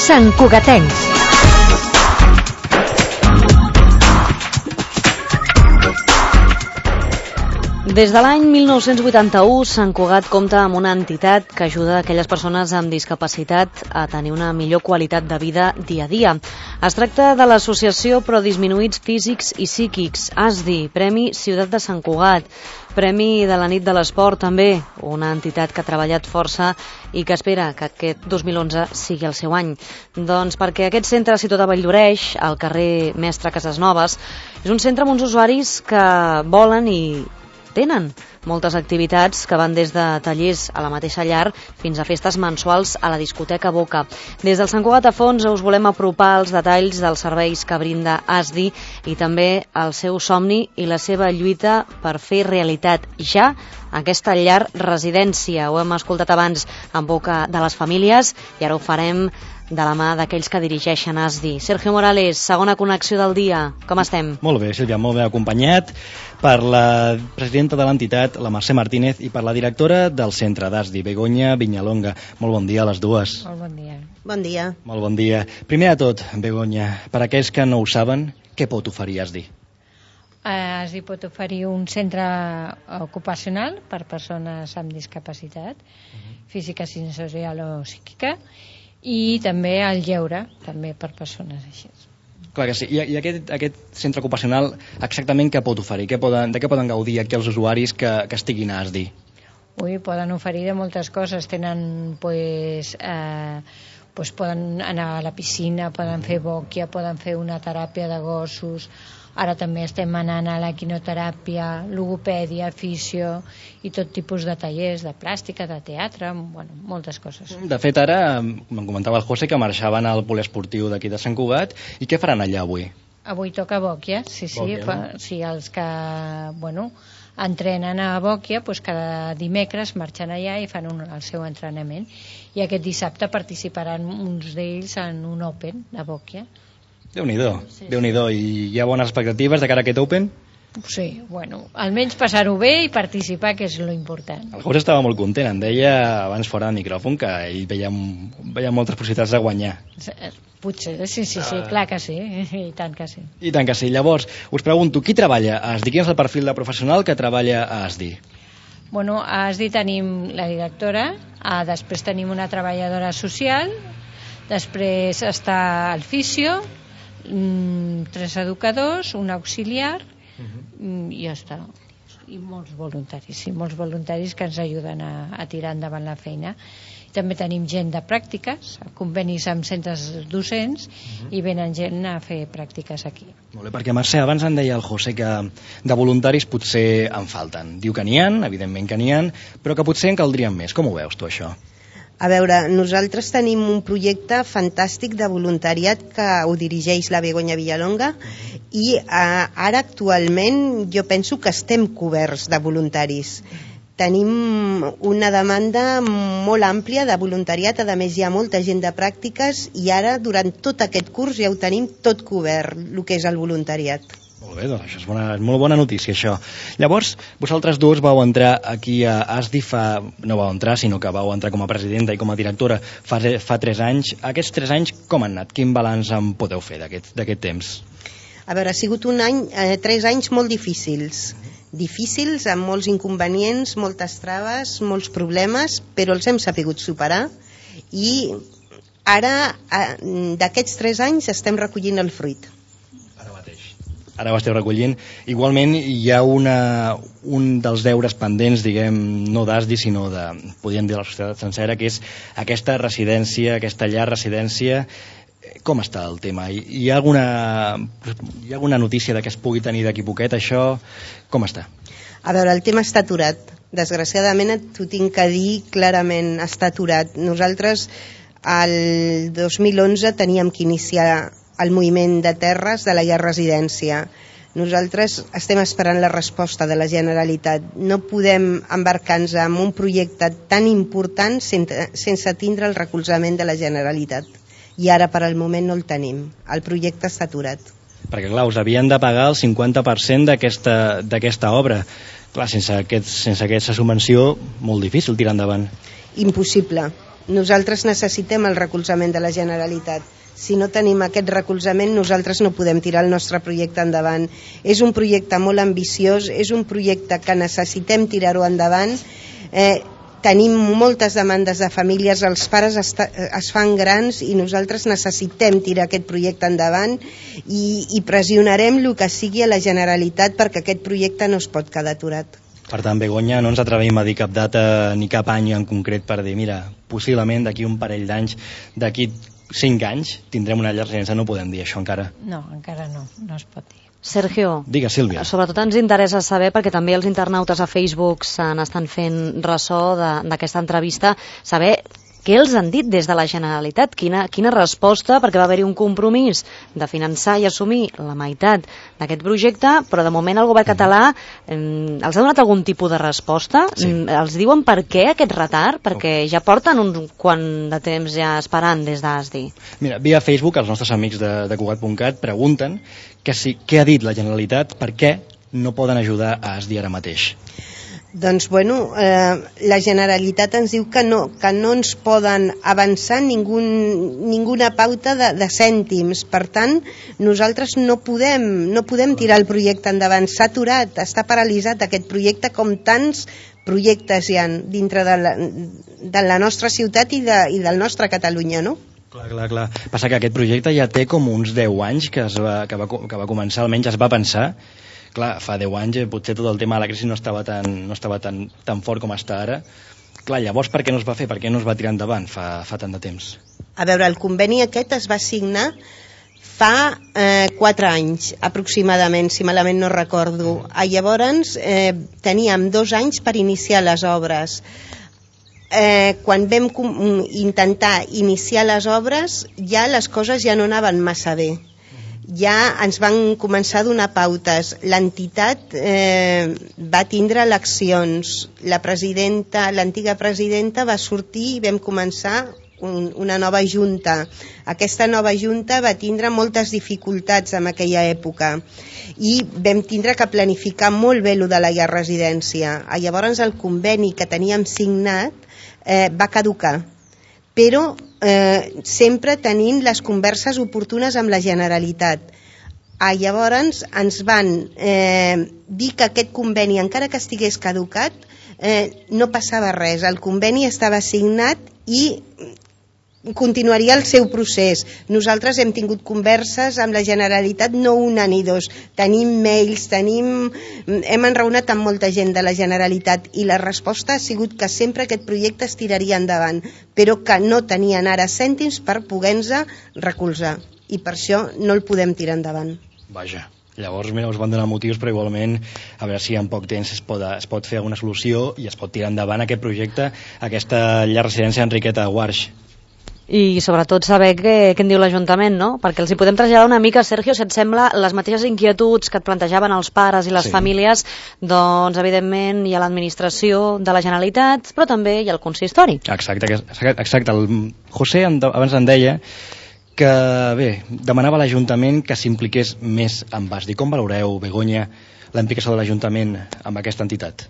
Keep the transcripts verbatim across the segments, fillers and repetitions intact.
Sant Cugatencs. Des de l'any mil nou-cents vuitanta-u, Sant Cugat compta amb una entitat que ajuda aquelles persones amb discapacitat a tenir una millor qualitat de vida dia a dia. Es tracta de l'Associació Pro Disminuïts Físics i Psíquics, A S D I, Premi Ciutat de Sant Cugat, Premi de la Nit de l'Esport també, una entitat que ha treballat força i que espera que aquest dos mil onze sigui el seu any. Doncs perquè aquest centre situat a Valldoreix, al carrer Mestre Casasnoves, és un centre amb uns usuaris que volen i tenen moltes activitats que van des de tallers a la mateixa llar fins a festes mensuals a la discoteca Boca. Des del Sant Cugat a fons us volem apropar els detalls dels serveis que brinda A S D I i també el seu somni i la seva lluita per fer realitat ja aquesta llar residència. Ho hem escoltat abans en boca de les famílies i ara ho farem de la mà d'aquells que dirigeixen A S D I. Sergio Morales, segona connexió del dia. Com estem? Molt bé, Sílvia, molt bé acompanyat per la presidenta de l'entitat, la Mercè Martínez, i per la directora del centre d'A S D I, Begoña Viñalonga. Molt bon dia a les dues. Molt bon dia. Bon dia. Molt bon dia. Primer de tot, Begoña, per a aquells que no ho saben, què pot oferir A S D I? A S D I pot oferir un centre ocupacional per persones amb discapacitat, uh-huh. física, sensorial o psíquica, i també el lleure, també per persones així. Clar que sí. I, i aquest, aquest centre ocupacional exactament què pot oferir? Què poden, de què poden gaudir aquí els usuaris que, que estiguin a A S D I? Ui, poden oferir de moltes coses. Tenen, pues, eh, pues poden anar a la piscina, poden fer bòquia, poden fer una teràpia de gossos. Ara també estem anant a la quinoteràpia, logopèdia, fisio i tot tipus de tallers, de plàstica, de teatre, bueno, moltes coses. De fet, ara me'n comentava el José que marxaven al poliesportiu d'aquí de Sant Cugat. I què faran allà avui? Avui toca bòquia, sí, sí. Bòquia, fa, no? Sí, els que, bueno, entrenen a bòquia, doncs cada dimecres marxen allà i fan un, el seu entrenament. I aquest dissabte participaran uns d'ells en un Open de bòquia. Déu-n'hi-do, sí, Déu-n'hi-do. I hi ha bones expectatives de cara a aquest Open? Sí, bueno, almenys passar-ho bé i participar, que és lo important. El José estava molt content, em deia abans fora de micròfon que ell veia, veia moltes possibilitats de guanyar. Potser, sí, sí, sí, clar que sí, i tant que sí. I tant que sí. Llavors, us pregunto, qui treballa a A S D I? Quin és el perfil de professional que treballa a A S D I? Bueno, a A S D I tenim la directora, ah, després tenim una treballadora social, després està el fisio, tres educadors, un auxiliar, uh-huh. i ja està. I molts voluntaris, sí, molts voluntaris que ens ajuden a, a tirar endavant la feina. També tenim gent de pràctiques, convenis amb centres docents, uh-huh. i venen gent a fer pràctiques aquí. Molt bé, perquè Mercè, abans em deia el José que de voluntaris potser en falten. Diu que n'hi ha, evidentment que n'hi ha, però que potser en caldrien més. Com ho veus tu, això? A veure, nosaltres tenim un projecte fantàstic de voluntariat que ho dirigeix la Begoña Viñalonga i eh, ara actualment jo penso que estem coberts de voluntaris. Tenim una demanda molt àmplia de voluntariat, a més hi ha molta gent de pràctiques i ara durant tot aquest curs ja ho tenim tot cobert, el que és el voluntariat. Molt bé, doncs això és bona, molt bona notícia, això. Llavors, vosaltres dos vau entrar aquí a A S D I fa... no vau entrar, sinó que vau entrar com a presidenta i com a directora fa, fa tres anys. Aquests tres anys com han anat? Quin balanç en podeu fer d'aquest temps? A veure, ha sigut un any, eh, tres anys molt difícils. Difícils, amb molts inconvenients, moltes traves, molts problemes, però els hem sapigut superar i ara, eh, d'aquests tres anys, estem recollint el fruit. Ara ho esteu recollint. Igualment hi ha una, un dels deures pendents, diguem, no d'A S D I, sinó de, podríem dir, la societat sencera, que és aquesta residència, aquesta llar residència. Com està el tema? Hi ha alguna, hi ha alguna notícia de que es pugui tenir d'aquí poquet, això? Com està? A veure, el tema està aturat. Desgraciadament t'ho tinc que dir clarament, està aturat. Nosaltres el dos mil onze teníem que iniciar el moviment de terres de la llar residència. Nosaltres estem esperant la resposta de la Generalitat. No podem embarcar-nos en un projecte tan important sense, sense tindre el recolzament de la Generalitat. I ara per al moment no el tenim. El projecte està aturat. Perquè clar, us havien de pagar el cinquanta per cent d'aquesta d'aquesta obra. Clar, sense, aquest, sense aquesta subvenció, molt difícil tirar endavant. Impossible. Nosaltres necessitem el recolzament de la Generalitat. Si no tenim aquest recolzament, nosaltres no podem tirar el nostre projecte endavant. És un projecte molt ambiciós, és un projecte que necessitem tirar-ho endavant. Eh, tenim moltes demandes de famílies, els pares es, es fan grans i nosaltres necessitem tirar aquest projecte endavant i, i pressionarem el que sigui a la Generalitat perquè aquest projecte no es pot quedar aturat. Per tant, Begoña, no ens atrevim a dir cap data ni cap any en concret per dir, mira, possiblement d'aquí un parell d'anys, d'aquí cinc anys, tindrem una llar residència. No podem dir això encara. No, encara no, no es pot dir. Sergio, digue, Sílvia. Sobretot ens interessa saber, perquè també els internautes a Facebook se n'estan fent ressò d'aquesta entrevista, saber què els han dit des de la Generalitat, quina, quina resposta, perquè va haver-hi un compromís de finançar i assumir la meitat d'aquest projecte, però de moment el govern català eh, els ha donat algun tipus de resposta? Sí. Els diuen per què aquest retard? Perquè ja porten un quant de temps ja esperant des d'A S D I. Mira, via Facebook els nostres amics de, de Cugat punt cat pregunten que si, què ha dit la Generalitat, per què no poden ajudar a A S D I ara mateix. Doncs, bueno, eh, la Generalitat ens diu que no, que no ens poden avançar ningú, ninguna pauta de, de cèntims. Per tant, nosaltres no podem, no podem tirar el projecte endavant. S'ha aturat, està paralitzat aquest projecte, com tants projectes hi ha dintre de la, de la nostra ciutat i, de, i del nostre Catalunya, no? Clar, clar, clar. Passa que aquest projecte ja té com uns deu anys que, es va, que, va, que va començar, almenys es va pensar. Clar, fa deu anys potser tot el tema de la crisi no estava tan, no estava tan, tan fort com està ara. Clar, llavors per què no es va fer? Per què no es va tirar endavant fa, fa tant de temps? A veure, el conveni aquest es va signar fa eh, quatre anys aproximadament, si malament no recordo. Ah, llavors eh, teníem dos anys per iniciar les obres. Eh, quan vam intentar iniciar les obres ja les coses ja no anaven massa bé. Ja ens van començar a donar pautes. L'entitat eh, va tindre eleccions. La presidenta, l'antiga presidenta va sortir i vam començar un, una nova junta. Aquesta nova junta va tindre moltes dificultats en aquella època i vam tindre que planificar molt bé lo de la llar residència. Llavors el conveni que teníem signat eh, va caducar, però eh, sempre tenint les converses oportunes amb la Generalitat. Ah, llavors ens van eh, dir que aquest conveni, encara que estigués caducat, eh, no passava res. El conveni estava signat i continuaria el seu procés. Nosaltres hem tingut converses amb la Generalitat, no una ni dos. Tenim mails, tenim... hem enraonat amb molta gent de la Generalitat i la resposta ha sigut que sempre aquest projecte es tiraria endavant, però que no tenien ara cèntims per poder-nos recolzar. I per això no el podem tirar endavant. Vaja. Llavors, mira, us van donar motius, però igualment, a veure si en poc temps es pot, es pot fer alguna solució i es pot tirar endavant aquest projecte, aquesta llar residència Enriqueta Guarx. I sobretot saber què, què en diu l'Ajuntament, no? Perquè els hi podem traslladar una mica, Sergio, si et sembla, les mateixes inquietuds que et plantejaven els pares i les sí. famílies, doncs evidentment hi ha l'administració de la Generalitat, però també hi ha el consistori. Exacte, exacte. El José abans en deia que, bé, demanava a l'Ajuntament que s'impliqués més en A S D I. Com valoreu, Begoña, la implicació de l'Ajuntament amb aquesta entitat?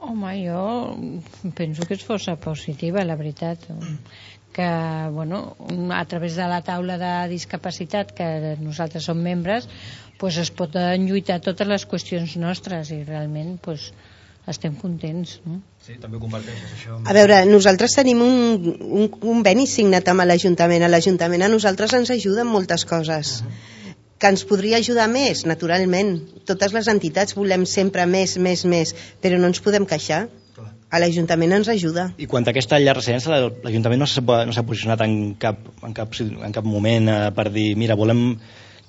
Home, jo penso que és força positiva, la veritat. Que, bueno, a través de la taula de discapacitat, que nosaltres som membres, pues es poden lluitar totes les qüestions nostres i realment pues, estem contents, no? Sí, també ho comparteixes, això. A veure, nosaltres tenim un, un conveni signat amb l'Ajuntament. A l'Ajuntament a nosaltres ens ajuda en moltes coses. Uh-huh. Que ens podria ajudar més, naturalment. Totes les entitats volem sempre més, més, més, però no ens podem queixar. A l'Ajuntament ens ajuda. I quant a aquesta llar residència, l'Ajuntament no s'ha no posicionat en cap, en cap, en cap moment eh, per dir, mira, volem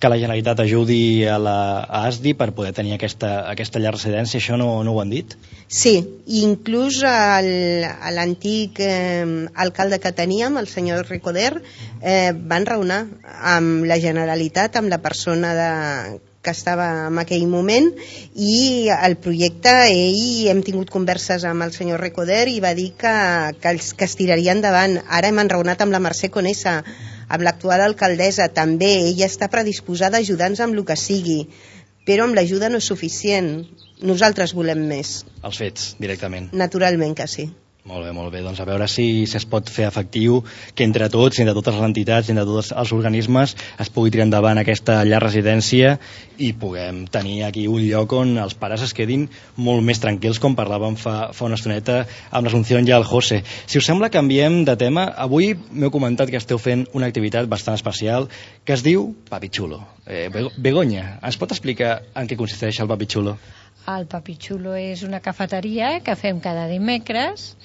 que la Generalitat ajudi a la a A S D I per poder tenir aquesta, aquesta llar residència, això no, no ho han dit? Sí, inclús l'antic eh, alcalde que teníem, el senyor Recoder, eh, van raonar amb la Generalitat, amb la persona de que estava en aquell moment, i el projecte, ell hem tingut converses amb el senyor Recoder i va dir que, que, els, que es tiraria endavant. Ara hem enraonat amb la Mercè Conesa, amb l'actual alcaldessa també, ella està predisposada a ajudar-nos amb el que sigui, però amb l'ajuda no és suficient. Nosaltres volem més. Els fets, directament. Naturalment que sí. Molt bé, molt bé. Doncs a veure si es pot fer efectiu que entre tots, entre totes les entitats, entre tots els organismes, es pugui tirar endavant aquesta llar residència i puguem tenir aquí un lloc on els pares es quedin molt més tranquils, com parlàvem fa, fa una estoneta amb l'Asunció i el José. Si us sembla, canviem de tema. Avui m'heu comentat que esteu fent una activitat bastant especial que es diu Papi Chulo. Eh, Begoña, ens pot explicar en què consisteix el Papi Chulo? El Papi Chulo és una cafeteria que fem cada dimecres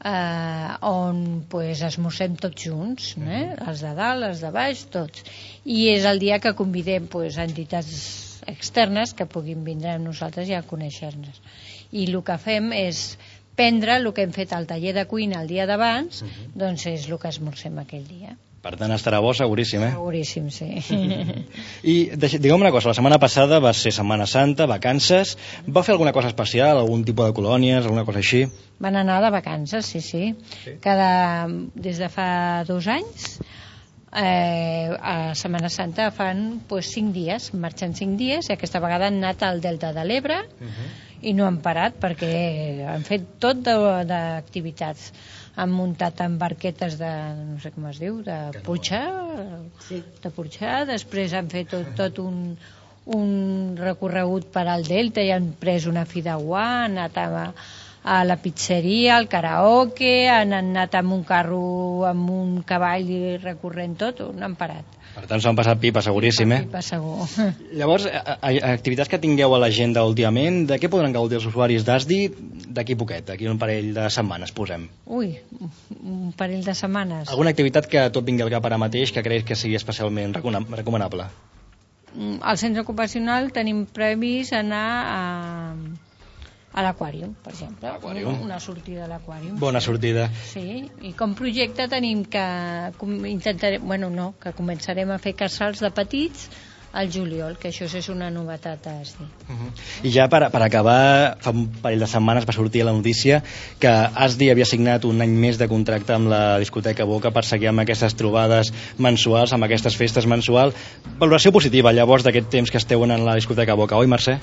eh, on pues, esmorzem tots junts, eh? Els de dalt, els de baix, tots. I és el dia que convidem pues, entitats externes que puguin vindre amb nosaltres i a conèixer-nos. I el que fem és prendre el que hem fet al taller de cuina el dia d'abans, uh-huh. doncs és el que esmorzem aquell dia. Per tant, estarà bo seguríssim, eh? Seguríssim, sí. I digue'm una cosa, la setmana passada va ser Setmana Santa, vacances. Va fer alguna cosa especial, algun tipus de colònies, alguna cosa així? Van anar de vacances, sí, sí. sí? Cada, des de fa dos anys, eh, a Setmana Santa fan pues, cinc dies, marxen cinc dies, i aquesta vegada han anat al Delta de l'Ebre, uh-huh. i no han parat perquè han fet tot d'activitats. Han muntat en barquetes de, no sé com es diu, de Puigà, sí. de Puigà, després han fet tot, tot un, un recorregut per al Delta i han pres una fideuà, han anat a, a la pizzeria, al karaoke, han anat amb un carro, amb un cavall recorrent tot, no han parat. Per tant, s'ho han passat pipa, seguríssim, eh? Pipa, segur. Llavors, a, a, activitats que tingueu a l'agenda últimament, de què podran gaudir els usuaris d'A S D I d'aquí poquet, d'aquí un parell de setmanes, posem? Ui, un parell de setmanes. Alguna activitat que tot vingui al cap ara mateix que creus que sigui especialment recomanable? Al centre ocupacional tenim previst anar a... a l'aquàrium, per exemple. Una, una sortida a l'aquàrium. Bona sí. sortida. Sí, i com projecte tenim que intentarem, bueno, no, que començarem a fer casals de petits al juliol, que això és una novetat a S D I. Uh-huh. I ja per, per acabar, fa un parell de setmanes va sortir la notícia que S D I havia signat un any més de contracte amb la discoteca Boca per seguir amb aquestes trobades mensuals, amb aquestes festes mensuals. Valoració positiva, llavors, d'aquest temps que esteu en la discoteca Boca, oi, Mercè?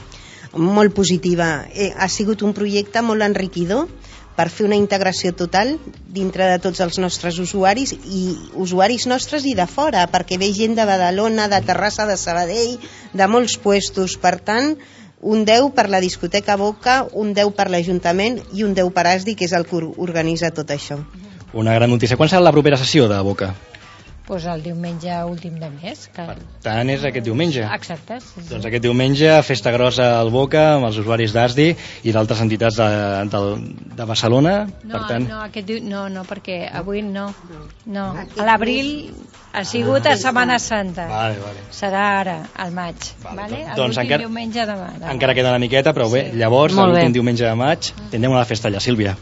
Molt positiva. Eh, ha sigut un projecte molt enriquidor per fer una integració total dintre de tots els nostres usuaris i usuaris nostres i de fora, perquè ve gent de Badalona, de Terrassa, de Sabadell, de molts puestos. Per tant, un deu per la discoteca Boca, un deu per l'Ajuntament i un deu per A S D I, que és el que organitza tot això. Una gran notícia. Quan serà la propera sessió de Boca? Pues el diumenge últim de mes. Que... Per tant, és aquest diumenge. Exacte. Sí, sí. Doncs aquest diumenge, festa grossa al Boca, amb els usuaris d'A S D I i d'altres entitats de, de, de Barcelona. No, per tant... no, aquest diu... no, no, perquè avui no. No, a l'abril ha sigut a Setmana Santa. Vale, vale. Serà ara, al maig. Vale, vale? Doncs l'últim encara, diumenge de maig. Encara queda una miqueta, però bé, sí. Llavors, l'últim diumenge de maig, tindrem una festa allà, Sílvia.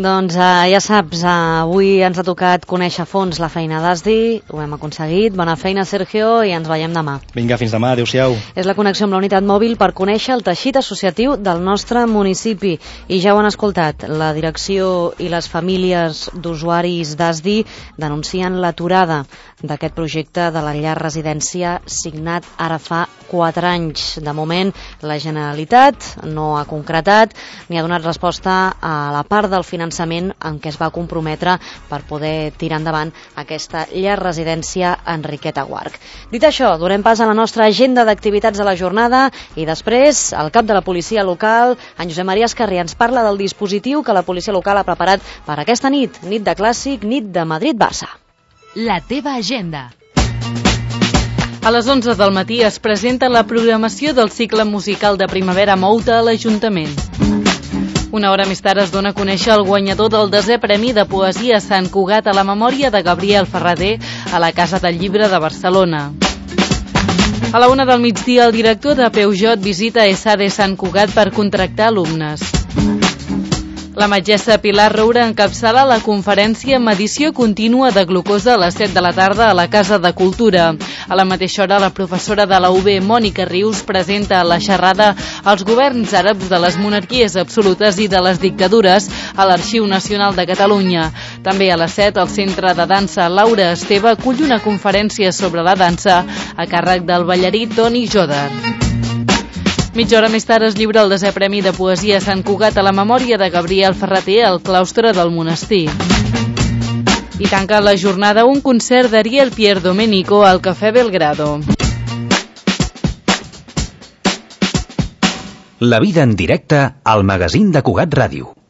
Doncs uh, ja saps, uh, avui ens ha tocat conèixer a fons la feina d'A S D I, ho hem aconseguit, bona feina Sergio i ens veiem demà. Vinga, fins demà, adeu-siau. És la connexió amb la unitat mòbil per conèixer el teixit associatiu del nostre municipi i ja ho han escoltat, la direcció i les famílies d'usuaris d'A S D I denuncien l'aturada d'aquest projecte de la llar residència signat ara fa quatre anys. De moment, la Generalitat no ha concretat ni ha donat resposta a la part del finançament en què es va comprometre per poder tirar endavant aquesta llar residència Enriqueta Guarch. Dit això, donem pas a la nostra agenda d'activitats de la jornada i després el cap de la policia local, en Josep Maria Escarri, ens parla del dispositiu que la policia local ha preparat per aquesta nit, nit de clàssic, nit de Madrid-Barça. La teva agenda. A les onze del matí es presenta la programació del cicle musical de Primavera Mouta a l'Ajuntament. Una hora més tard es dona a conèixer el guanyador del desè Premi de Poesia Sant Cugat a la memòria de Gabriel Ferrader a la Casa del Llibre de Barcelona. A la una del migdia, el director de Peugeot visita E S A D Sant Cugat per contractar alumnes. La metgessa Pilar Roura encapçala la conferència Medició contínua de glucosa a les set de la tarda a la Casa de Cultura. A la mateixa hora, la professora de la U B, Mònica Rius, presenta la xerrada als governs àrabs de les monarquies absolutes i de les dictadures a l'Arxiu Nacional de Catalunya. També a les set, el Centre de Dansa Laura Esteve acull una conferència sobre la dansa a càrrec del ballarí Toni Joder. Mitja hora més tard es lliura el desè Premi de Poesia a Sant Cugat a la memòria de Gabriel Ferrater al claustre del monestir. I tanca la jornada un concert d'Ariel Pierdomenico al Cafè Belgrado. La vida en directe al magazín de Cugat Ràdio.